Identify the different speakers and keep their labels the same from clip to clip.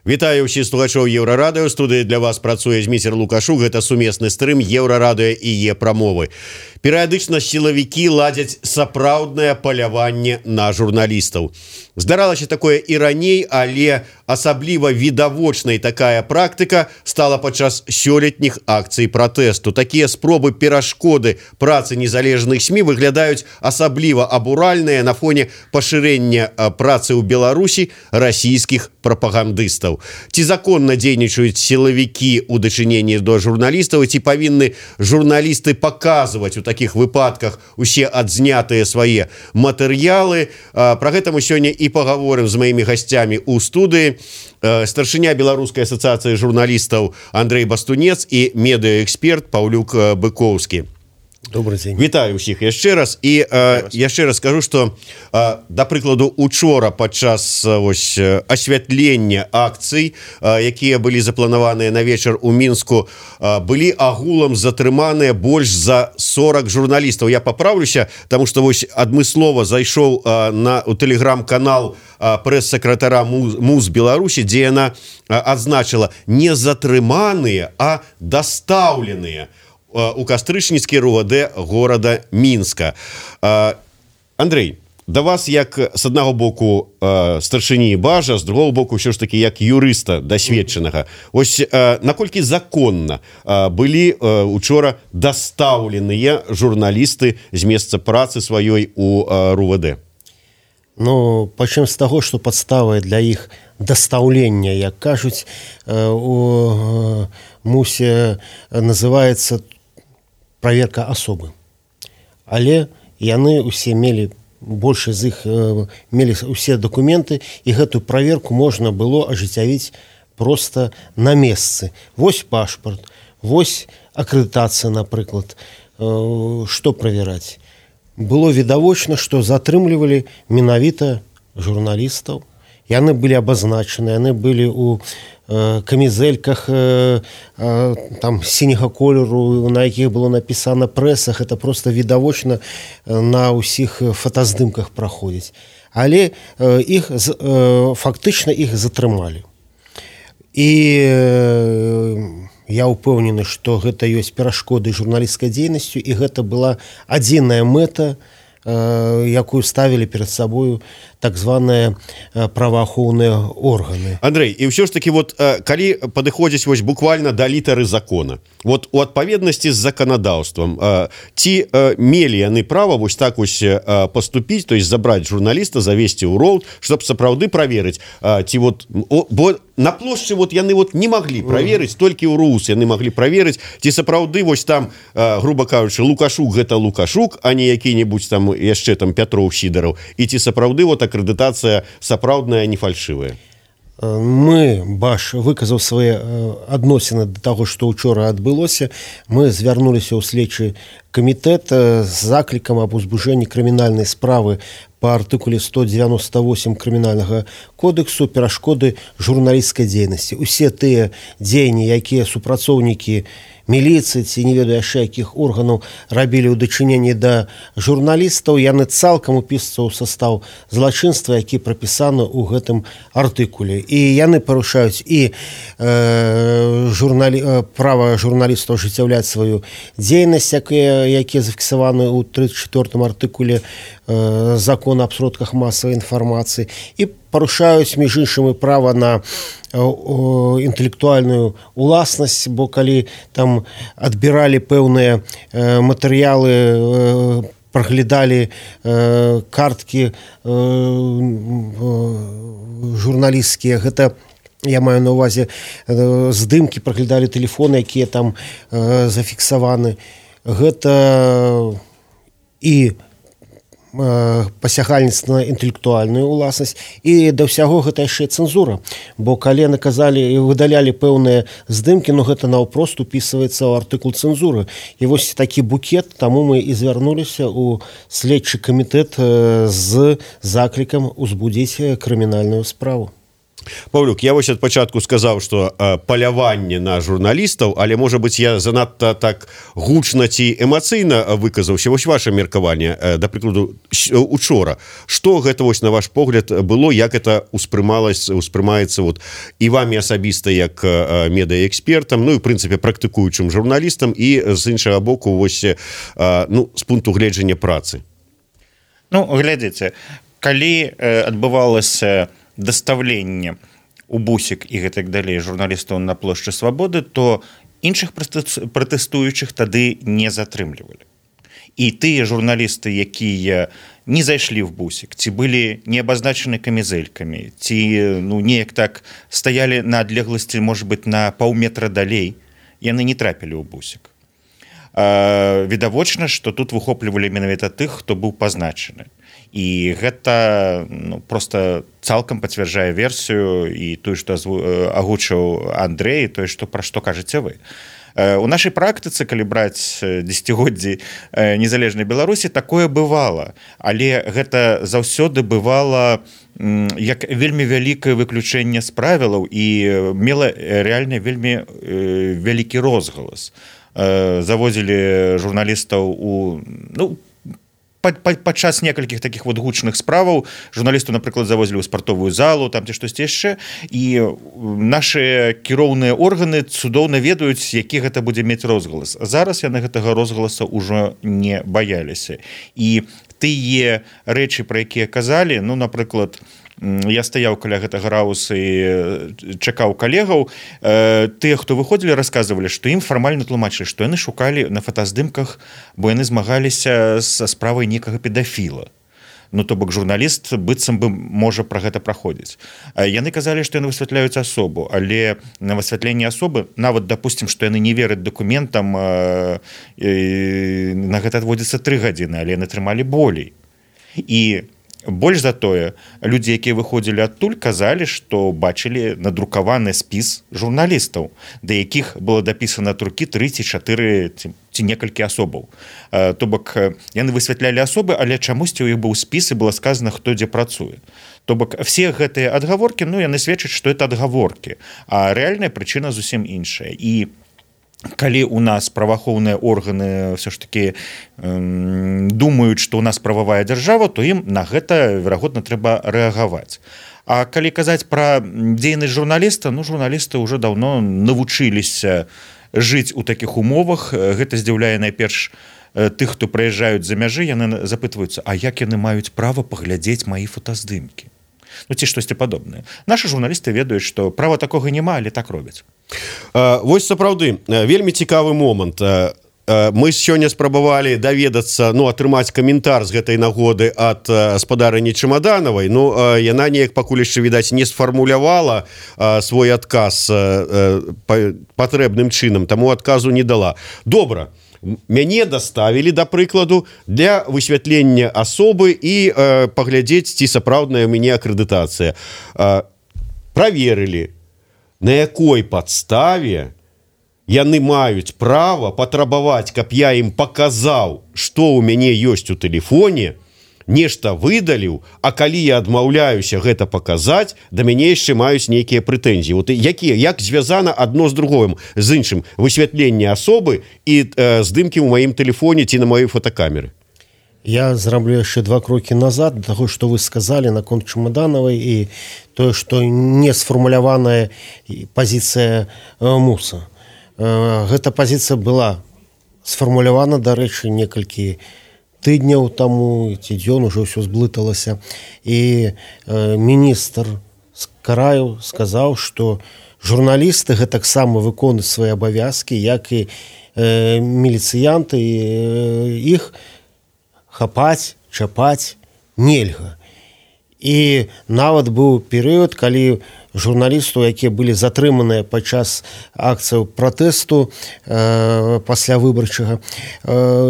Speaker 1: Вітаю ўсіх слухачоў Еўрарадыё. Студыі для вас працуе Зміцер Лукашук. Гэта сумесны стрым Еўрарадыё і Е-прамовы. Перыядычна сілавікі ладзяць сапраўднае паляванне на журналістаў. Здаралася такое і раней, але асабліва відавочнай такая практыка стала падчас сёлетніх акцый пратэсту. Такія спробы перашкоды працы незалежных СМІ выглядаюць асабліва абуральныя на фоне пашырэння працы ў Беларусі расійскіх прапагандыстаў. Ці законна дзейнічаюць сілавікі ў дачыненні да журналістаў, ці павінны журналісты паказваць у такіх выпадках усе адзнятыя свае матэрыялы. Пра гэта мы сёння і пагаворым з маімі гасцямі ў студыі. Старшыня Беларускай асацыяцыі журналістаў Андрэй Бастунец і медыаэксперт Паўлюк Быкоўскі.
Speaker 2: Добрый день.
Speaker 1: Вітаю ўсіх яшчэ раз. І яшчэ раз скажу, што, да прыкладу, учора падчас асвятлення акцый, якія былі запланаваныя на вечар у Мінску, былі агулам затрыманыя больш за 40 журналістаў. Я папраўлюся, таму што адмыслова зайшоў у тэлеграм-канал прэс-сакратара МУЗ Беларусі, дзе яна адзначыла не затрыманыя, а дастаўленыя у кастрычніцкі РУВД горада Мінска. Андрэй, да вас як з аднаго боку старшыні бажа, з другого боку ўсё ж такі як юрыста дасведчанага. Вось наколькі законна былі учора дастаўленыя журналісты з месца працы сваёй у РУВД?
Speaker 2: Ну, пачнем з таго, што падставай для іх дастаўлення, як кажуць, у МУСе называецца проверка асобы. Але яны усе мелі, большасць з іх мелі усе дакументы, і гэтую праверку можна было ажыццявіць проста на месцы. Вось пашпарт, вось акрэдытацыя, напрыклад. Што правяраць? Было відавочна, што затрымлівалі менавіта журналістаў. Яны былі абазначаны, яны былі ў камізэльках там сіняга колеру, на якіх было напісана прэсах. Это просто відавочна на ўсіх фотаздымках праходзіць. Але фактычна іх затрымалі. І я ўпэўнены, што гэта ёсць перашкоды журналісцкай дзейнасцю, і гэта была адзіная мэта, якую ставілі перад сабою так званыя праваахоўныя органы.
Speaker 1: Андрэй, і ўсё ж такі, калі падыходзіць буквально да літары закона, у адпаведнасці з заканадаўствам, ці мелі яны права так паступіць, то есть забраць журналіста, завесці ў роўд, чтобы сапраўды праверыць, ці бо на плошчы яны не маглі праверыць, толькі ў РУС яны маглі праверыць, ці сапраўды там, грубо кажучы, Лукашук гэта Лукашук, а не які-небудзь там яшчэ там Пятроў, Сідараў, і ці сапраўды акрэдытацыя сапраўдная, не фальшывая.
Speaker 2: Баш выказаў свае адносіны да таго, што учора адбылося. Мы звярнуліся ў следчы камітэт з заклікам аб узбуджэнні крымінальнай справы па артыкуле 198 крымінальнага кодексу перашкоды журналісцкай дзейнасці. Усе тыя дзеянні, якія супрацоўнікі міліцыі ці не ведаю яшчэ якіх органаў рабілі ў дачыненні да журналістаў, яны цалкам упісваюцца ў састаў злачынства, які прапісаны ў гэтым артыкуле. І яны парушаюць і права журналістаў ажыццяўляць сваю дзейнасць, якія зафіксаваны ў 34 артыкуле закона аб сродках масавай інфармацыі, і парушаюць, між іншым, і права на інтэлектуальную уласнасць, бо калі там адбіралі пэўныя матэрыялы, праглядалі карткі журналісцкія, гэта я маю на ўвазе здымкі, праглядалі тэлефоны, якія там зафіксаваны. Гэта і пасягальніцтва на інтэлектуальную уласнасць, і да ўсяго гэта яшчэ цэнзура, бо калі наказалі і выдалялі пэўныя здымкі, гэта наўпрост упісваецца ў артыкул цэнзуры. І вось такі букет, таму мы і звярнуліся ў следчы камітэт з заклікам узбудзіць крымінальную справу.
Speaker 1: Паўлюк, я вось ад пачатку сказаў, што паляванне на журналістаў, але можа быць я занадта так гучна ці эмацыйна выказаўся. Вось ваше меркаванне, да прыкладу, учора. Што гэта вось на ваш погляд было, як это успрымаецца вот і вамі асабіста як медыаэкспертам, ну і в прынцыпе практыкуючым журналістам і з іншага боку вось з пункту гледжання працы.
Speaker 3: Ну, глядзіце, калі адбывалася дастаўленне у бусік і гэтак далей журналістаў на плошчы Свабоды, то іншых пратэстуючых тады не затрымлівалі. І тыя журналісты, якія не зайшлі в бусік, ці былі не абазначаны камізэлькамі, ці неяк так стаялі на адлегласці, можа быць, на паўметра далей, яны не трапілі ў бусік. Відавочна, што тут выхоплівалі менавіта тых, хто быў пазначаны. І гэта просто цалкам пацвярджае версію і тое, што агучыў Андрэй, тое, пра што кажаце вы. У нашай практыцы, калі браць дзесяцігоддзі незалежнай Беларусі, такое бывала, але гэта заўсёды бывала як вельмі вялікае выключэнне з правілаў і мела рэальна вельмі вялікі розгалас. Завозілі журналістаў у падчас некалькіх такіх вот гучных справаў журналісту, напрыклад, завозілі ў спартовую залу, там ці штосьці яшчэ, і нашы кіроўныя органы цудоўна ведаюць, які гэта будзе мець розгалас. Зараз яны гэтага розгаласа ўжо не баяліся. І тыя рэчы, пра якія казалі, напрыклад, я стаяў каля гэтага рауса і чакаў калегаў, тыя, хто выходзілі, расказвалі, што ім фармальна тлумачылі, што яны шукалі на фотаздымках, бо яны змагаліся са справай некага педафіла. То бок журналіст быццам бы можа пра гэта праходзіць. Яны казалі, што яны высвятляюць асобу, але на высвятленне асобы, нават допустим, што яны не вераць дакументам, на гэта адводзіцца 3 гадзіны, але яны трымалі болей. І больш за тое, людзі, якія выходзілі адтуль, казалі, што бачылі надрукаваны спіс журналістаў, да якіх было дапісана ад рукі 3 ці 4 ці некалькі асобаў. То бок яны высвятлялі асобы, але чамусьці ў іх быў спіс і было сказана, хто дзе працуе. То бок все гэтыя адгаворкі, яны сведчаць, што это адгаворкі, а рэальная прычына зусім іншая. І калі у нас праваахоўныя органы все ж таки думаюць, што у нас прававая дзяржава, то ім на гэта, верагодна, трэба рэагаваць. А калі казаць пра дзейнасць журналіста, журналісты ўжо даўно навучыліся жыць у такіх умовах. Гэта здзіўляе найперш тых, хто прыязджаюць за мяжы, яны запытваюцца, а як яны маюць права паглядзець маі фотаздымкі? Ці штосьці падобнае. Нашы журналісты ведаюць, што права такога няма, але так робяць.
Speaker 1: Вось сапраўды вельмі цікавы момант. Мы сёння спрабавалі даведацца, атрымаць каментар з гэтай нагоды ад гаспадарыні Чамаданавай. Яна неяк пакуль яшчэ, відаць, не сфармулявала свой адказ патрэбным чынам, таму адказу не дала. Добра. Мяне даставілі, да прыкладу, для высвятлення асобы і паглядзець, ці сапраўдная ў мяне акрэдытацыя. Праверылі, на якой падставе яны маюць права патрабаваць, каб я ім паказаў, што ў мяне ёсць у тэлефоне, нешта выдаліў, а калі я адмаўляюся гэта паказаць, да мяне яшчэ маюць нейкія прэтэнзіі. Як звязана адно з другим, з іншым, высвятленне асобы і здымкі ў маім тэлефоне ці на маёй фотокамеры?
Speaker 2: Я зраблю яшчэ 2 крокі назад да таго, што вы сказалі наконт Чамаданавай і тое, што не сфармуляваная пазіцыя МУСа. Гэта пазіцыя была сфармулявана, дарэчы, некалькі тыдняў таму, ці дзён ужо ўсё зблыталася. І міністр Караеў сказаў, што журналісты гэтаксама выконваюць свае абавязкі, як і міліцыянты, іх хапаць, чапаць нельга. І нават быў перыяд, калі журналістаў, якія былі затрыманыя падчас акцыяў пратэсту пасля выбарчага,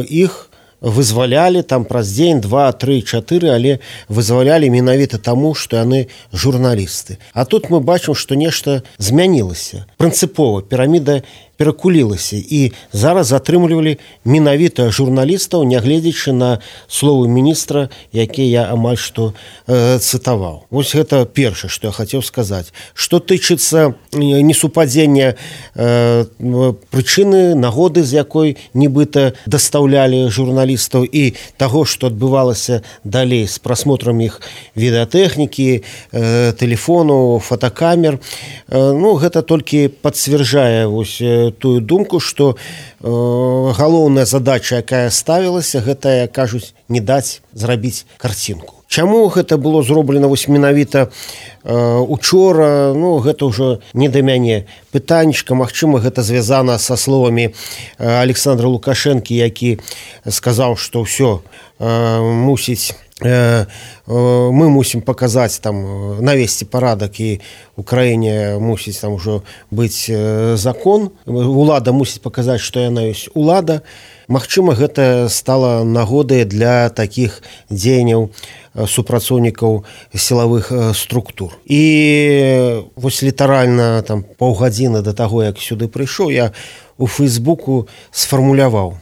Speaker 2: іх вызвалялі там праз дзень, 2, 3, 4, але вызвалялі менавіта таму, што яны журналісты. А тут мы бачым, што нешта змянілася. Прынцыпова піраміда перакулілася і зараз затрымлівалі менавіта журналістаў, нягледзячы на словы міністра, якія я амаль што цытаваў. Вось гэта першае, што я хацеў сказаць. Што тычыцца несупадзення прычыны, нагоды, з якой нібыта дастаўлялі журналістаў, і таго, што адбывалася далей з прасмотрам іх відэатэхнікі, тэлефону, фотокамер. Гэта толькі пацвярджае тую думку, што галоўная задача, якая ставілася, гэта, кажуць, не даць зрабіць карцінку. Чаму гэта было зроблена менавіта учора, гэта ўжо не да мяне пытанечка. Магчыма, гэта звязана са словамі Александра Лукашэнкі, які сказаў, што ўсё мусіць, мы мусім паказаць, навесці парадак, і ў краіне мусіць ўжо быць закон, улада мусіць паказаць, што яна ёсць улада. Магчыма, гэта стала нагодай для такіх дзеянняў супрацоўнікаў сілавых структур. І вось літаральна паўгадзіны да таго, як сюды прыйшоў, я у Фейсбуку сфармуляваў: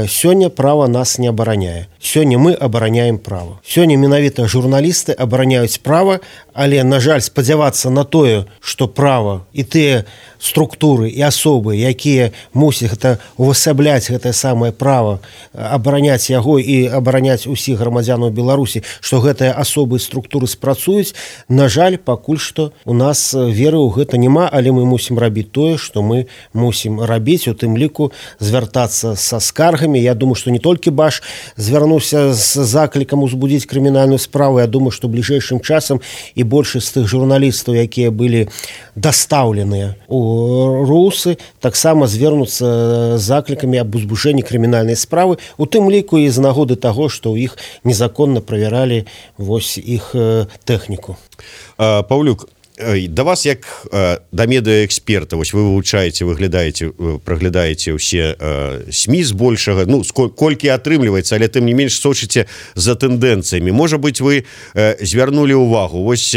Speaker 2: сёння права нас не абараняе. Сёння мы абараняем права. Сёння менавіта журналісты абараняюць права, але, на жаль, спадзявацца на тое, што права і тыя структуры і асобы, якія мусяць увасабляць гэтае самае права, абараняць яго і абараняць усіх грамадзянаў Беларусі, што гэтыя асобы і структуры спрацуюць, на жаль, пакуль што у нас веры ў гэта няма, але мы мусім рабіць тое, што мы мусім рабіць, у тым ліку звяртацца са скаргамі. Я думаю, што не толькі Баш звярнуўся з заклікам узбудзіць крымінальную справу. Я думаю, што бліжэйшым часам і большасць з тых журналістаў, якія былі дастаўленыя у русы, таксама звернуцца з заклікамі аб узбуджэнні крымінальнай справы, у тым ліку і з нагоды таго, што ў іх незаконна правяралі іх тэхніку.
Speaker 1: Паўлюк, да вас, як да медыаэксперта, вось вы вывучаеце, праглядаеце ўсе СМІ збольшага, колькі атрымліваецца, але тым не менш сочыце за тэндэнцыямі. Можа быць, вы звярнулі ўвагу, вось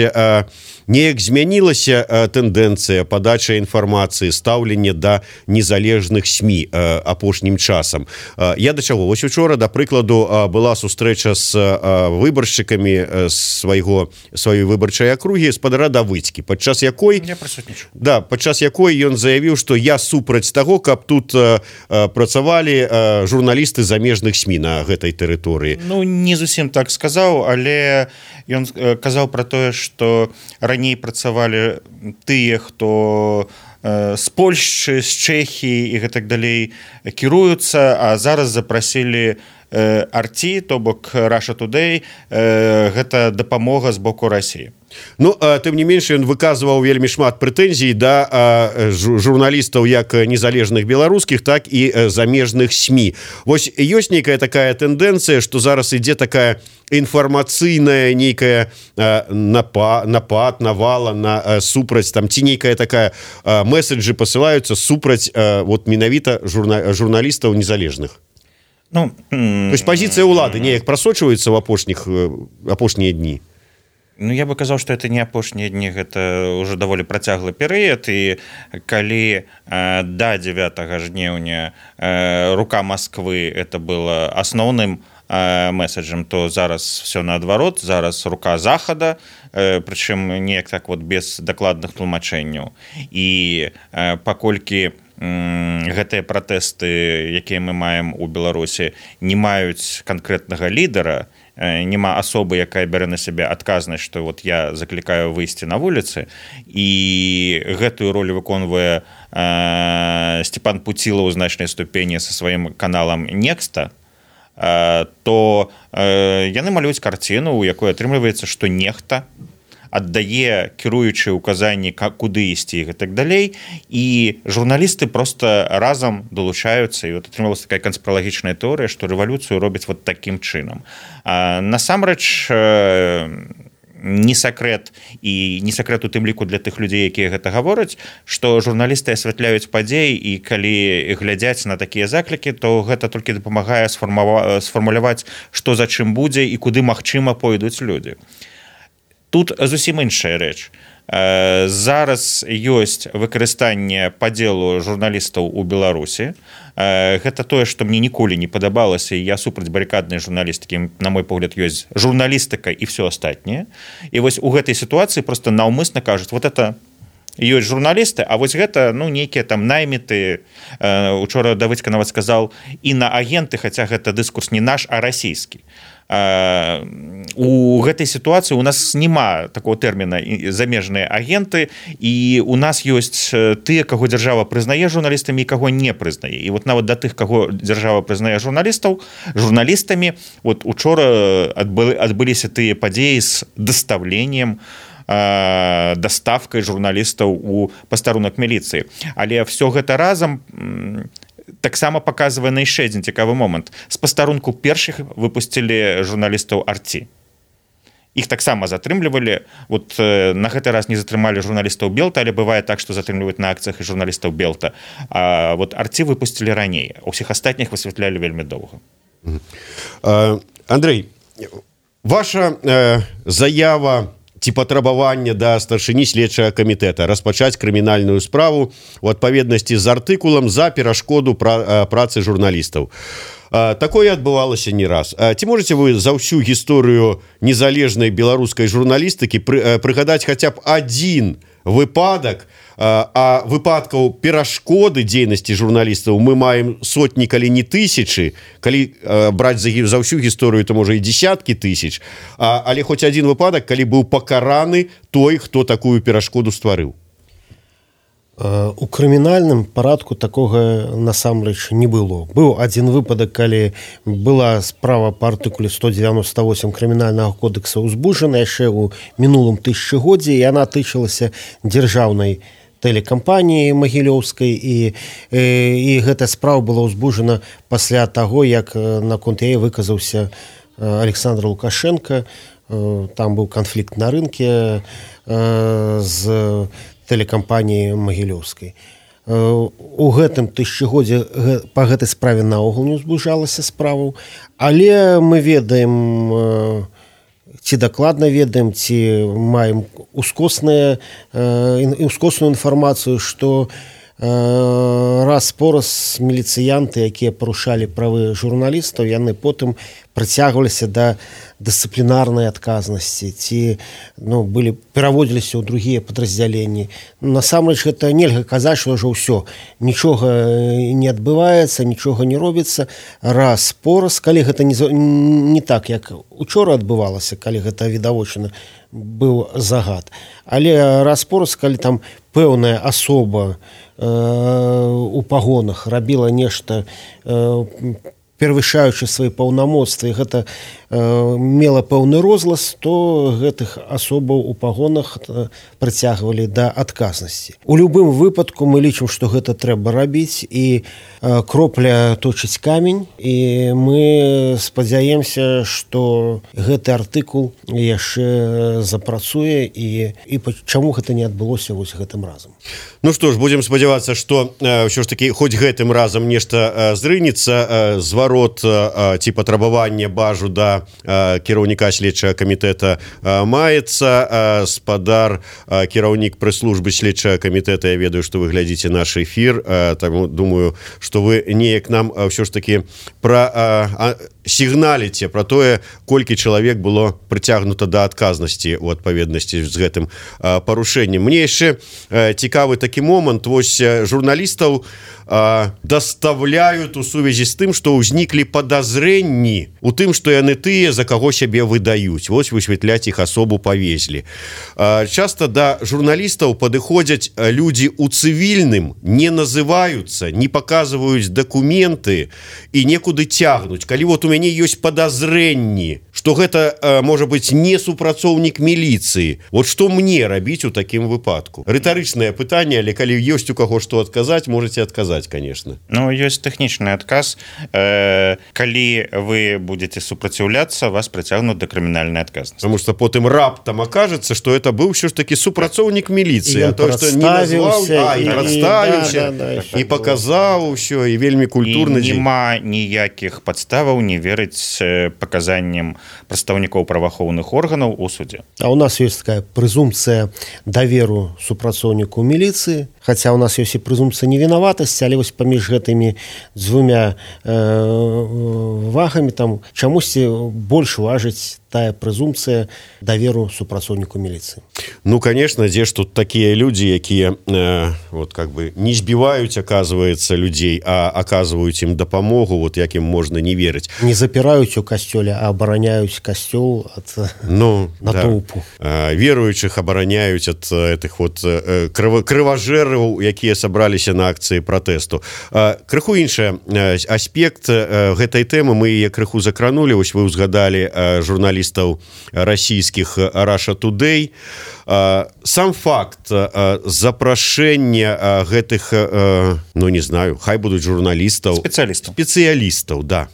Speaker 1: неяк змянілася тэндэнцыя падачы інфармацыі, стаўленне да незалежных СМІ апошнім часам. Я да чаго? Вось учора, да прыкладу, была сустрэча з выбаршчыкамі сваёй выбарчай акругі спадара Давыдзькі, падчас якой ён заявіў, што я супраць таго, каб тут працавалі журналісты замежных СМІ на гэтай тэрыторыі.
Speaker 3: Не зусім так сказаў, але ён казаў пра тое, што раней працавалі тыя, хто з Польшчы, з Чэхіі і гэтак далей кіруюцца, а зараз запрасілі Арці, то бок Russia Today, гэта дапамога з боку Расіі.
Speaker 1: Тым не менш, ён выказваў вельмі шмат прэтэнзій да журналістаў як незалежных беларускіх, так і замежных СМІ. Вось ёсць нейкая такая тэндэнцыя, што зараз ідзе такая інфармацыйная нейкая напад, навала на супраць, ці нейкая такая месседжы пасылаюцца супраць менавіта журналістаў незалежных. То есть пазіцыя ўлады неяк прасочваецца ў апошнія дні?
Speaker 3: Я бы казаў, што это не апошнія дні, гэта ўжо даволі працяглы перыяд, і калі да 9 жніўня рука Масквы это было асноўным месседжам, то зараз все наадварот, зараз рука Захада, прычым неяк так без дакладных тлумачэнняў. І паколькі гэтыя пратэсты, якія мы маем у Беларусі, не маюць канкрэтнага лідара, няма асобы, якая бярэ на сябе адказнасць, што я заклікаю выйсці на вуліцы, і гэтую ролю выконвае Степан Пуцілаў у значнай ступені са сваім каналам Некста, то яны малююць карціну, у якой атрымліваецца, што нехта аддае кіруючыя ўказанні, куды ісці і гэтак далей, і журналісты просто разам далучаюцца, і атрымалася такая канспіралагічная тэорыя, што рэвалюцыю робяць такім чынам. Насамрэч, не сакрэт, і не сакрэт у тым ліку для тых людзей, якія гэта гавораць, што журналісты асвятляюць падзеі, і калі глядзяць на такія заклікі, то гэта толькі дапамагае сфармуляваць, што за чым будзе і куды магчыма пойдуць людзі. Тут зусім іншая рэч. зараз ёсць выкарыстанне падзелу журналістаў у Беларусі. Гэта тое, што мне ніколі не падабалася, і я супраць барыкаднай журналістыкі, на мой погляд, ёсць журналістыка і все астатняе. І вось у гэтай сітуацыі просто наўмысна кажуць, вот это ёсць журналісты, а вось гэта нейкія там найміты. Учора Давыдзька нават сказаў інаагенты, хаця гэта дыскурс не наш, а расійскі. У гэтай сітуацыі у нас няма такого тэрміна замежныя агенты, і у нас ёсць тыя, каго дзяржава прызнае журналістамі і каго не прызнае. І вот нават да тых, каго дзяржава прызнае журналістамі, вот учора адбыліся тыя падзеі з дастаўленнем, даставкай журналістаў у пастарунак міліцыі. Але все гэта разам таксама паказвае на яшчэ адзін цікавы момант. З пастарунку першых выпусцілі журналістаў Арці. Іх таксама затрымлівалі. Вот на гэты раз не затрымалі журналістаў Белта, але бывае так, што затрымліваюць на акцыях і журналістаў Белта. А вот Арці выпусцілі раней. У ўсіх астатніх высвятлялі вельмі доўга.
Speaker 1: Андрей, ваша заява ці патрабавання да старшыні следчага камітэта распачаць крымінальную справу у адпаведнасці з артыкулам за перашкоду працы журналістаў. Такое адбывалася не раз. Ці можаце вы за ўсю гісторыю незалежнай беларускай журналістыкі прыгадаць хаця б адзін выпадак, а выпадкаў перашкоды дзейнасці журналістаў мы маем сотні, калі не тысячы, калі браць за ўсю гісторыю, то можа і десяткі тысяч, але хоць адзін выпадак, калі быў пакараны той, хто такую перашкоду стварыў.
Speaker 2: У крымінальным парадку такога насамрэч не было. Быў адзін выпадак, калі была справа па артыкуле 198 крымінальнага кодекса ўзбуджана яшчэ ў мінулым тысячагоддзі, і яна тычылася дзяржаўнай тэлекампаніі магілёўскай, і гэтая справа была ўзбуджана пасля таго, як наконт яе выказаўся Александр Лукашенко. Там быў канфлікт на рынке з тэлекампаніі магілёўскай. У гэтым тысячагоддзі па гэтай справе наогул не ўзбуджалася справу, але мы ведаем, ці дакладна ведаем, ці маем ускосную інфармацыю, што раз-пораз міліцыянты, якія парушалі правы журналістаў, яны потым прыцягваліся да дысцыплінарнай адказнасці, ці пераводзіліся ў другія падраздзяленні. Насамрэч гэта нельга казаць, што ўжо ўсё, нічога не адбываецца, нічога не робіцца. Раз-пораз, калі гэта не так, як учора адбывалася, калі гэта відавочна быў загад. Але раз-пораз, калі там пэўная асоба у пагонах рабіла нешта перавышаючы свае паўнамоцтвы, гэта мела пэўны розгалас, то гэтых асобаў у пагонах прыцягвалі да адказнасці. У любым выпадку мы лічым, што гэта трэба рабіць, і кропля точыць камень, і мы спадзяемся, што гэты артыкул яшчэ запрацуе, і чаму гэта не адбылося вось гэтым разам.
Speaker 1: Ну што ж, будзем спадзявацца, што ўсё ж такі хоць гэтым разам нешта зрынецца, зварот ці патрабаванне бажу да кіраўніка следчага камітэта маецца. Спадар кіраўнік прэс-службы следчага камітэта, я ведаю, што вы глядзіце наш эфір, таму думаю, што вы неяк нам ўсё ж такі сігналіце пра тое, колькі чалавек было прыцягнута да адказнасці ў адпаведнасці з гэтым парушэннем. Мне яшчэ цікавы такі момант. Вось журналістаў даставляюць у сувязі з тым, што ўзніклі падазрэнні у тым, што яны тыя, за каго сябе выдаюць. Вось высвятляць іх асобу павезлі. Часта да журналістаў падыходзяць людзі ў цывільным, не называюцца, не паказваюць дакументы і некуды цягнуць. Калі вот у мяне ёсць падазрэнні, што гэта можа быць не супрацоўнік міліцыі, вот што мне рабіць у такім выпадку? Рытарычнае пытанне, але калі ёсць у каго што адказаць, можаце адказаць, конечно.
Speaker 3: Ну, ёсць тэхнічны адказ. Калі вы будете супраціўляцца, вас прыцягнуць да крымінальнай адказнасці.
Speaker 1: Потому что потым раптам акажацца, што это быў ўсё ж такі супрацоўнік міліцыі, а той, што не назваў, і прадставіўся, і паказаў усё, і вельмі культурна.
Speaker 3: Няма ніякіх падставаў не верыць паказанням прадстаўнікоў праваахоўных органаў у судзе.
Speaker 2: А у нас есть такая прэзумпцыя даверу супрацоўніку міліцыі, хаця у нас ёсць і прэзумпцыя невінаватасці, але вось паміж гэтымі дзвюмя вагамі там чамусьці больш важыць тая прэзумпцыя даверу супрацоўніку міліцыі.
Speaker 1: Ну, конечно, дзе ж тут такія людзі, якія вот как бы не збіваюць, оказывается, людзей, а оказываюць ім дапамогу, вот як ім можна не верыць.
Speaker 2: Не запіраюць у касцёле, а абараняюць касцёл ад натоўпу.
Speaker 1: Да. Веруючых абараняюць ад этих вот крыважэраў, якія сабраліся на акцыі пратэсту. Крыху іншы аспект гэтай тэмы, мы яе крыху закранулі, вось вы ўзгадалі журналістаў расійскіх Russia Today. Сам факт запрашэння гэтых, ну не знаю, хай будуць журналістаў, спецыялістаў, да,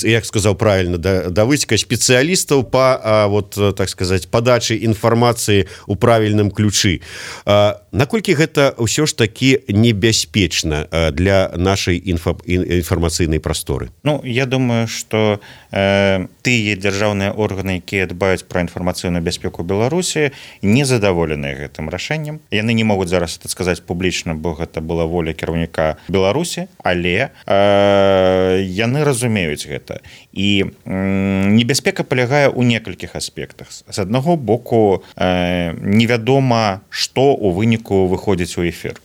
Speaker 1: як сказаў правильно Давыдзька, спецыялістаў по вот так сказать падачы інфармацыі у правільным ключы. Наколькі гэта ўсё ж таки небяспечна для нашай інфармацыйнай прасторы?
Speaker 3: Ну, я думаю, что тыя дзяржаўныя органы, якія дбаюць пра інфармацыйную бяспеку Беларусі, не задаволеныя гэтым рашэннем. Яны не могуць зараз это сказаць публічна, бо гэта была воля кіраўніка Беларусі, але яны разумеюць гэта. І небяспека палягае ў некалькіх аспектах. З аднаго боку, невядома, што ў выніку выходзіць у эфір.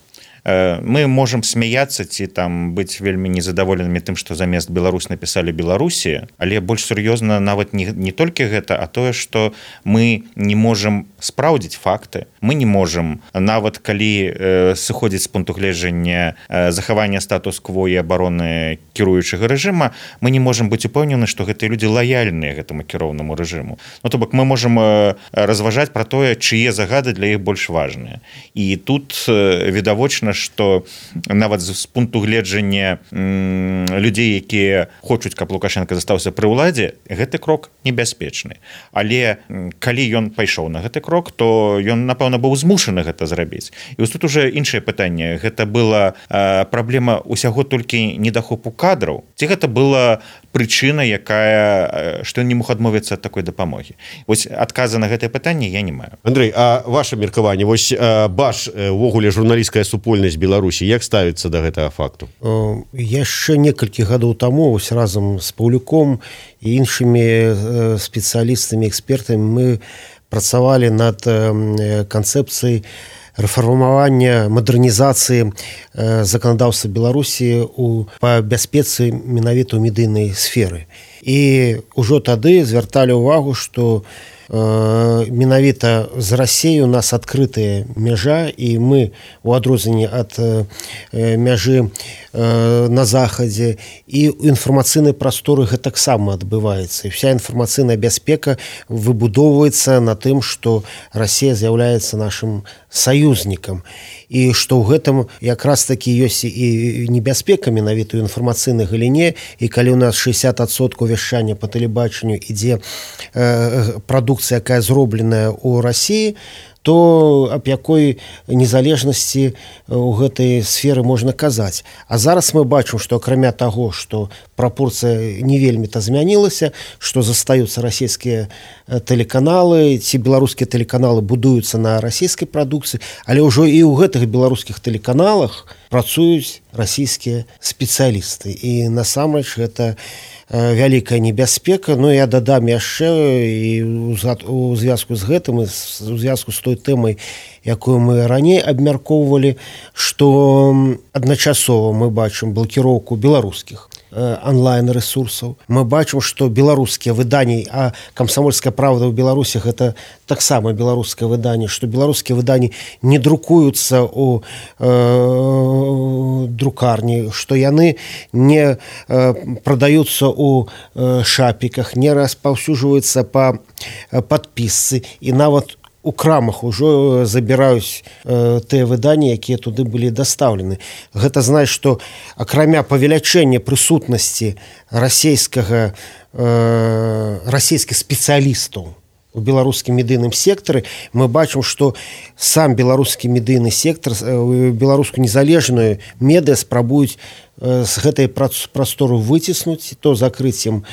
Speaker 3: Мы можам смяяцца ці там быць вельмі незадаволенымі тым, што замест Беларусь напісалі Беларусі, але больш сур'ёзна нават не толькі гэта, а тое, што мы не можам спраўдзіць факты. Мы не можам, нават калі сыходзіць з пункту гледжання захавання статус-кво і абароны кіруючага рэжыма, мы не можам быць упэўнены, што гэтыя людзі лаяльныя гэтаму кіроўнаму рэжыму. Ну, то бок мы можам разважаць пра тое, чые загады для іх больш важныя. І тут відавочна, што нават з пункту гледжання людзей, якія хочуць, каб Лукашенко застаўся пры ўладзе, гэты крок небяспечны. Але калі ён пайшоў на гэты крок, то ён, напэўна, быў змушаны гэта зрабіць. І вось тут уже іншае пытанне. Гэта была праблема ўсяго толькі недахопу кадраў? Ці гэта была прычына, якая, што ён не мог адмовіцца ад такой дапамогі? Вось адказа на гэтае пытанне я не маю.
Speaker 1: Андрэй, а ваше меркаванне, вось БАШ, увогуле журналісцкая супольнасць Беларусі, як ставіцца да гэтага факту?
Speaker 2: Яшчэ некалькі гадоў таму вось разам з Паўлюком і іншымі спецыялістамі, экспертамі мы працавалі над канцэпцыяй рэфармавання, мадэрнізацыі заканадаўства Беларусі па бяспецы менавіта ў медыйнай сферы. І ўжо тады звярталі ўвагу, што менавіта з Расіяй у нас адкрытая мяжа, і мы у адрозненні ад мяжы на захадзе і ў інфармацыйнай прасторы гэтаксама адбываецца. І вся інфармацыйная бяспека выбудоўваецца на тым, што Расія з'яўляецца нашым саюзнікам. І што ў гэтым якраз такі ёсць і небяспека менавіта ў інфармацыйнай галіне, і калі ў нас 60% вяшчання па тэлебачанню ідзе прадукцыя, якая зробленая ў Расіі, то аб якой незалежнасці ў гэтай сферы можна казаць. А зараз мы бачым, што акрамя таго, што прапорцыя не вельмі-то змянілася, што застаюцца расійскія тэлеканалы, ці беларускія тэлеканалы будуюцца на расійскай прадукцыі, але ўжо і ў гэтых беларускіх тэлеканалах працуюць расійскія спецыялісты. І насамрэч гэта вялікая небяспека. Ну, я дадам яшчэ і у звязку з гэтым, у звязку з той тэмай, якую мы раней абмяркоўвалі, што адначасова мы бачым блакіроўку беларускіх онлайн-ресурсаў. Мы бачым, што беларускія выданні, а «Камсамольская правда» ў Беларусі гэта таксама беларускае выданне, што беларускія выданні не друкуюцца ў друкарні, што яны не прадаюцца ў шапіках, не распаўсюджваюцца па падпісцы, і нават у крамах ужо забіраюць тыя выданні, якія туды былі дастаўлены. Гэта значыць, што акрамя павелічэння прысутнасці расійскіх спецыялістаў у беларускім медыйным сектары, мы бачым, што сам беларускі медыйны сектар, беларускую незалежную медыа спрабуюць з гэтай прастору выціснуць, то закрыццем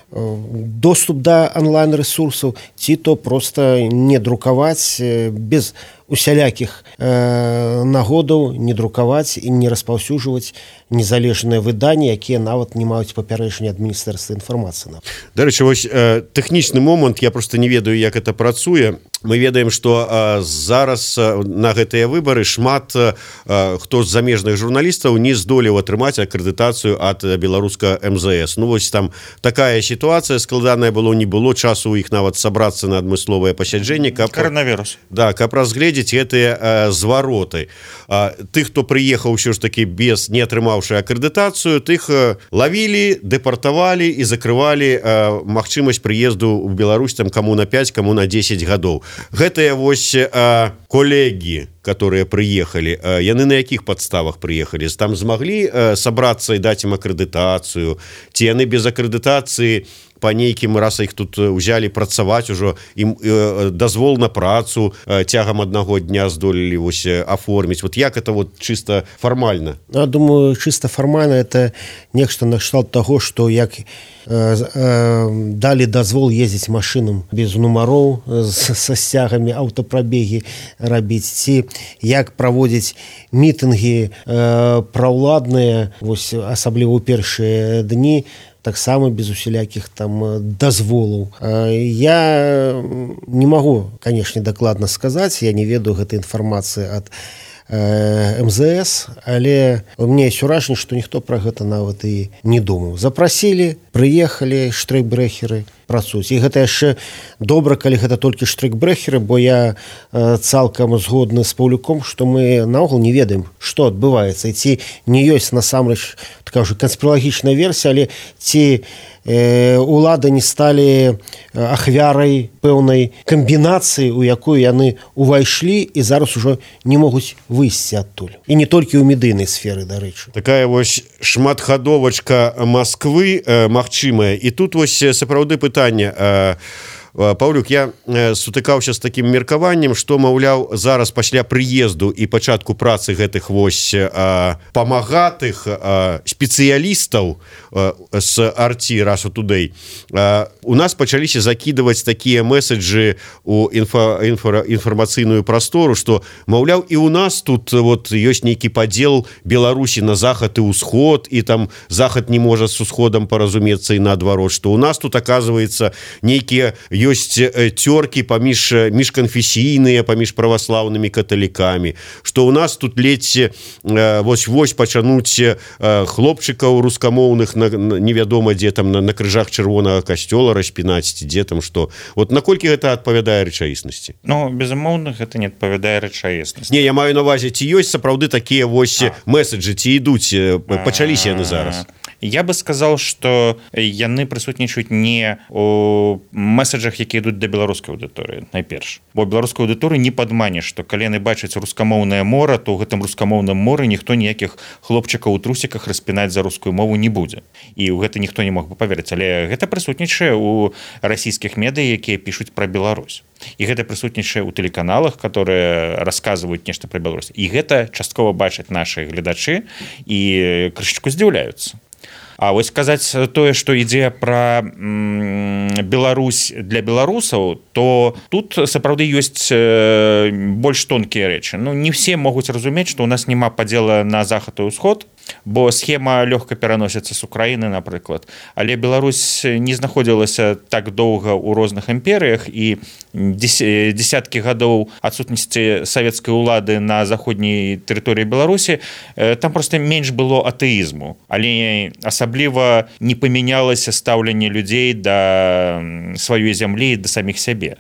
Speaker 2: доступ да онлайн-ресурсаў, ці то просто не друкаваць без усялякіх нагодаў, не друкаваць і не распаўсюджваць незалежныя выданні, якія нават не маюць папярэджання ад Міністэрства інфармацыі.
Speaker 1: Дарэчы, вось тэхнічны момант, я просто не ведаю, як это працуе. Мы ведаем, што зараз на гэтыя выбары шмат хто з замежных журналістаў не здолеў атрымаць акрэдытацыю ад беларуска МЗС. Ну вось там такая сітуацыя складаная не было часу у іх нават сабрацца на адмысловае пасяджэнне, каб
Speaker 3: коронавірус.
Speaker 1: Да, каб разгледзець гэтыя звароты. Тых, хто прыехаў ўсё ж такі без не атрымаўшы акрэдытацыю, тых лавілі, дэпартавалі і закрывалі магчымасць прыезду ў Беларусь там каму на 5, каму на 10 гадоў. Гэтыя вось калегі, которые прыехалі, яны на якіх падставах прыехалі? Там змаглі сабрацца і даць ім акрэдытацыю, ці яны без акрэдытацыі по нейкім раз іх тут узялі працаваць ужо, ім дазвол на працу цягам аднаго дня здолелі вось аформіць. Вот як это вот чисто фармальна?
Speaker 2: Я думаю, чисто фармальна это нешта накшталт таго, што як далі дазвол ездзіць машынам без нумароў са сцягамі, аўтапрабегі рабіць, ці як праводзіць мітынгі праўладныя, вось асабліва ў першыя дні, таксама без усялякіх там дазволаў. Я не магу, канешне, дакладна сказаць, я не ведаю гэтай інфармацыі ад МЗС, але у мяне ёсць уражанне, што ніхто пра гэта нават і не думаў. Запрасілі, прыехалі штрейкбрэхеры працуюць. І гэта яшчэ добра, калі гэта толькі штрейкбрэхеры, бо я цалкам згодны з Паўлюком, што мы наогул не ведаем, што адбываецца. І ці не ёсць насамрэч такая ўжо канспіралагічная версія, але ці улады не сталі ахвярай пэўнай камбінацыі, у якую яны увайшлі і зараз ужо не могуць выйсці адтуль. І не толькі ў медыйнай сферы, дарэчы.
Speaker 1: Такая вось шматхадовачка Масквы магчымая. І тут вось сапраўды пытанне. Паўлюк, я сутыкаўся з такім меркаваннем, што, маўляў, зараз пасля прыезду і пачатку працы гэтых вось памагатых спецыялістаў з Арці Russia Today у нас пачаліся закідваць такія меседжы у інфармацыйную прастору, што, маўляў, і ў нас тут вот ёсць нейкі падзел Беларусі на захад і ўсход, і там захад не можа з усходам паразумецца і наадварот, што ў нас тут, аказваецца, нейкія ёсць цёркі міжканфесійныя, паміж праваслаўнымі каталікамі, што ў нас тут ледзь вось пачануць хлопчыкаў рускамоўных невядома дзе там на крыжах чырвонага касцёла распінаць, ці дзе там што. Вот наколькі гэта адпавядае рэчаіснасці?
Speaker 3: Ну, безумоўна, гэта не адпавядае рэчаіснасці.
Speaker 1: Не, я маю на увазе, ці ёсць сапраўды такія вось меседжы, ці ідуць, пачаліся яны зараз?
Speaker 3: Я бы сказал, што яны прысутнічаюць не у меседжах, якія ідуць да беларускай аўдыторыі, найперш. Бо беларускай аўдыторыі не падманеш, што калі яны бачаць рускамоўнае мора, то ў гэтым рускамоўным моры ніхто ніякіх хлопчыкаў у трусіках распінаць за рускую мову не будзе. І ў гэта ніхто не мог бы паверыць. Але гэта прысутнічае ў расійскіх медыя, якія пішуць пра Беларусь. І гэта прысутнічае ў тэлеканалах, которые расказваюць нешта пра Беларусь. І гэта часткова бачаць нашы гледачы і крышачку здзіўляюцца. А вось сказаць тое, што ідзе пра Беларусь для беларусаў, то тут сапраўды ёсць больш тонкія рэчы. Ну, не все могуць разумець, што ў нас няма падзела на захад і ўсход, бо схема лёгка пераносіцца з Украіны, напрыклад. Але Беларусь не знаходзілася так доўга ў розных імперыях, і десяткі гадоў адсутнасці савецкай улады на заходняй тэрыторыі Беларусі, там проста менш было атэізму, але асабліва не памянялася стаўленне людзей да сваёй зямлі і да саміх сябе.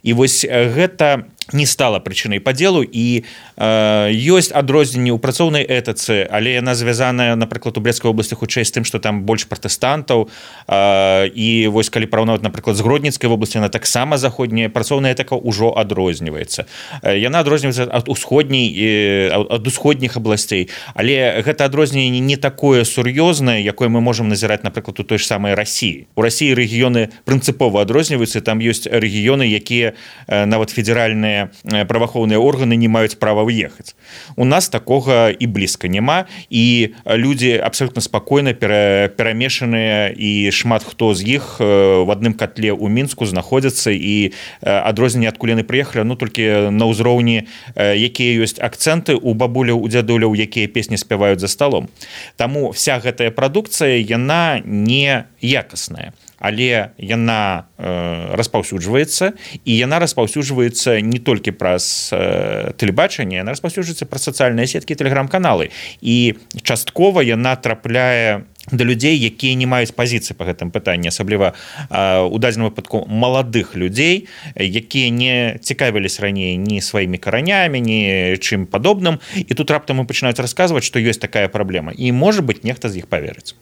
Speaker 3: І вось гэта не стала прычынай падзелу і ёсць адрозненні ў працоўнай этыцы, але яна звязаная, напрыклад, у Брестскай вобласці хутчэй з тым, што там больш пратэстантаў, і вось калі параўнаваць, напрыклад, з Гродніцкай вобласці, яна таксама заходняя працоўная этыка ўжо адрозніваецца. Яна адрозніваецца ад усходніх абласцей, але гэта адрозненне не такое сур'ёзнае, якое мы можам назіраць, напрыклад, у той ж самай Расіі. У Расіі рэгіёны прынцыпова адрозніваюцца, там ёсць рэгіёны, якія нават федэральныя праваахоўныя органы не маюць права выехаць. У нас такога і блізка няма, і людзі абсалютна спакойна перамешаныя, і шмат хто з іх в адным котле ў Мінску знаходзяцца, і адрозненне, адкуль яны прыехалі, ну толькі на ўзроўні, якія ёсць акцэнты у бабуляў, у дзядуляў, якія песні спяваюць за сталом. Таму вся гэтая прадукцыя, яна не якасная, але яна распаўсюджваецца, і яна распаўсюджваецца не толькі праз тэлебачанне, яна распаўсюджваецца праз сацыяльныя сеткі і тэлеграм-каналы, і часткова яна трапляе да людзей, якія не маюць пазіцыі па гэтым пытанні, асабліва у дадзеным выпадку маладых людзей, якія не цікавіліся раней ні сваімі каранямі, ні чым падобным, і тут раптам пачынаюць расказваць, што ёсць такая праблема, і можа быць нехта з іх паверыць.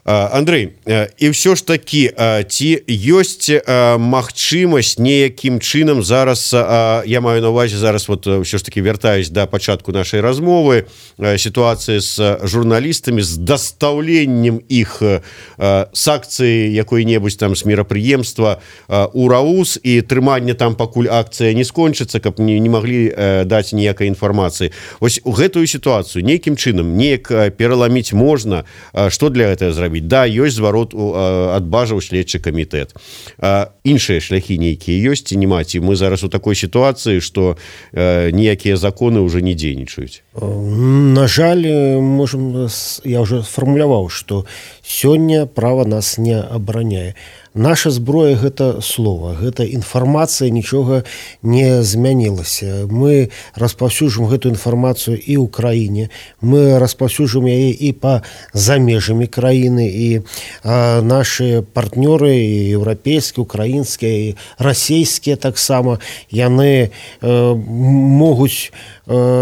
Speaker 1: Андрэй, і ўсё ж такі, ці ёсць магчымасць неякім чынам зараз, я маю на ўвазе зараз, вот ўсё ж такі вяртаюсь да пачатку нашай размовы, сітуацыі з журналістамі, з дастаўленнем іх з акцыі якой-небудзь там з мерапрыемства у РАУС і трыманне там, пакуль акцыя не скончыцца, каб не маглі даць ніякай інфармацыі. Вось у гэтую сітуацыю нейкім чынам неяк пераламіць можна, што для гэтага зрабіць? Да, ёсць зварот адбажаў следчы камітэт. Іншыя шляхі нейкія ёсць ці няма? Ці мы зараз у такой сітуацыі, што ніякія законы ўжо не дзейнічаюць?
Speaker 2: На жаль, можем, я уже фармуляваў, што сёння права нас не абараняе. Наша зброя – гэта слова, гэта інфармацыя, нічога не змянілася. Мы распаўсюджваем гэту інфармацыю і ў краіне, мы распаўсюджваем яе і па за межамі краіны, і нашы партнёры, і еўрапейскія, украінскія, і расійскія таксама, яны могуць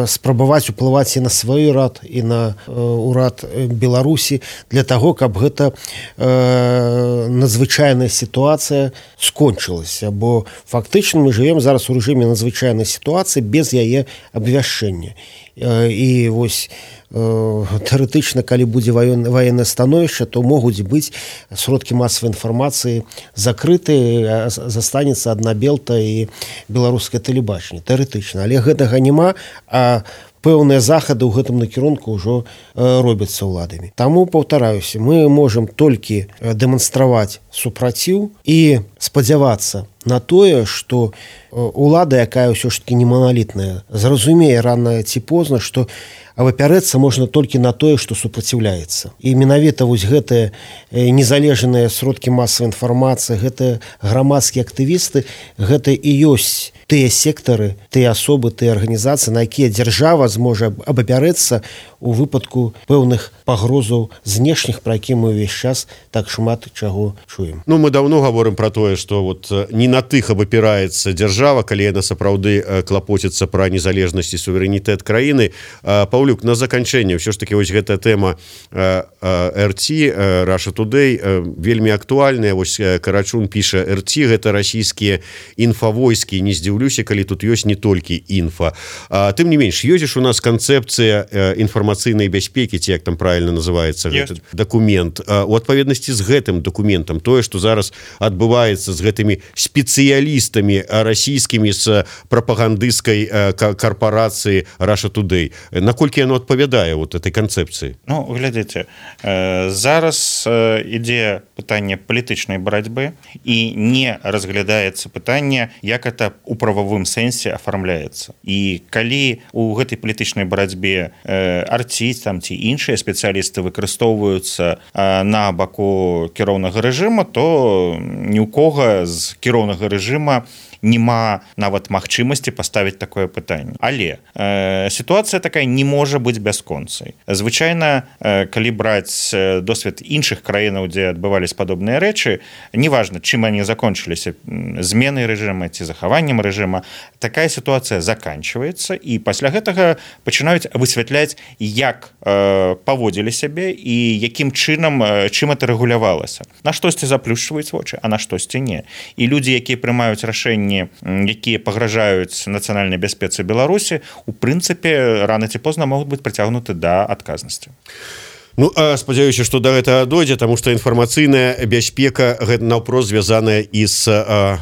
Speaker 2: спрабаваць уплываць і на свой урад, і на урад Беларусі для таго, каб гэта надзвычайная сітуацыя скончылася, бо фактычна мы жывем зараз у рэжыме надзвычайнай сітуацыі без яе абвяшчэння. І вось тэарэтычна, калі будзе ваеннае становішча, то могуць быць сродкі масавай інфармацыі закрытыя, застанецца адна Белта і беларускае тэлебачанне, тэарэтычна. Але гэтага няма, а пэўныя захады ў гэтым накірунку ўжо робяцца ўладамі. Таму, паўтараюся, мы можам толькі дэманстраваць супраціў і спадзявацца на тое, што улада, якая ўсё ж такі не маналітная, зразумее рана ці позна, што абапярэцца можна толькі на тое, што супраціўляецца. І менавіта вось гэтыя незалежныя сродкі масавай інфармацыі, гэтыя грамадскія актывісты, гэта і ёсць тыя сектары, тыя асобы, тыя арганізацыі, на якія дзяржава зможа абапярэцца у выпадку пэўных пагрозаў знешніх, пра які мы ўвесь час так шмат чаго чуем.
Speaker 1: Ну, мы даўно гаворым пра тое, што вот не на тых абапіраецца дзяржава, калі яна сапраўды клапоціцца пра незалежнасць і суверэнітэт краіны. Паўлюк, на заканчэнне, ўсё ж такі вось гэтая тэма РТ, Russia Today, вельмі актуальная. Вось Карачун піша: РТ гэта расійскія інфавойскі. Не здзіўлюся, калі тут ёсць не толькі інфа. Тым не менш, ёсць у нас канцэпцыя інфармацыйнай бяспекі, ці як там правильно называецца гэты дакумент. У адпаведнасці з гэтым дакументам, тое, што зараз адбываецца з гэтымі спецыялістамі расійскімі з прапагандысцкай карпорацыі Russia Today, наколькі яно адпавядае вот этой канцэпцыі?
Speaker 3: Ну, глядзіце, зараз ідзе пытанне палітычнай барацьбы і не разглядаецца пытанне, як это у прававым сэнсе афармляецца. І калі у гэтай палітычнай барацьбе арціць там ці іншыя спецыялісты выкарыстоўваюцца на баку кіроўнага рэжыма, то ні ў кога з кіроўнага рэжыма няма нават магчымасці паставіць такое пытанне. Але сітуацыя такая не можа быць бясконцай. Звычайна, калі браць досвед іншых краінаў, дзе адбывались падобныя рэчы, неважна, чым они закончыліся, зменай рэжыма ці захаваннем рэжыма, такая сітуацыя заканчиваецца, і пасля гэтага пачынаюць высвятляць, як паводзілі сябе і якім чынам, чым это рэгулявалася. На штосьці заплюшчваюць вочы, а на штосьці не. І людзі, якія прымаюць рашэнні, якія пагражаюць нацыянальнай бяспецы Беларусі, у прынцыпе, рана ці позна могуць быць прыцягнуты да адказнасці.
Speaker 1: Ну, спадзяюся, што да гэтага дойдзе, таму што інфармацыйная бяспека гэта наўпрост звязаная і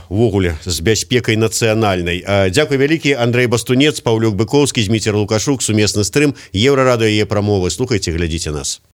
Speaker 1: увогуле з бяспекай нацыянальнай. Дзякуй вялікі. Андрэй Бастунец, Паўлюк Быкоўскі, Зміцер Лукашук, сумесны стрым, Еўрарадыё, яе прамовы. Слухайце, глядзіце нас.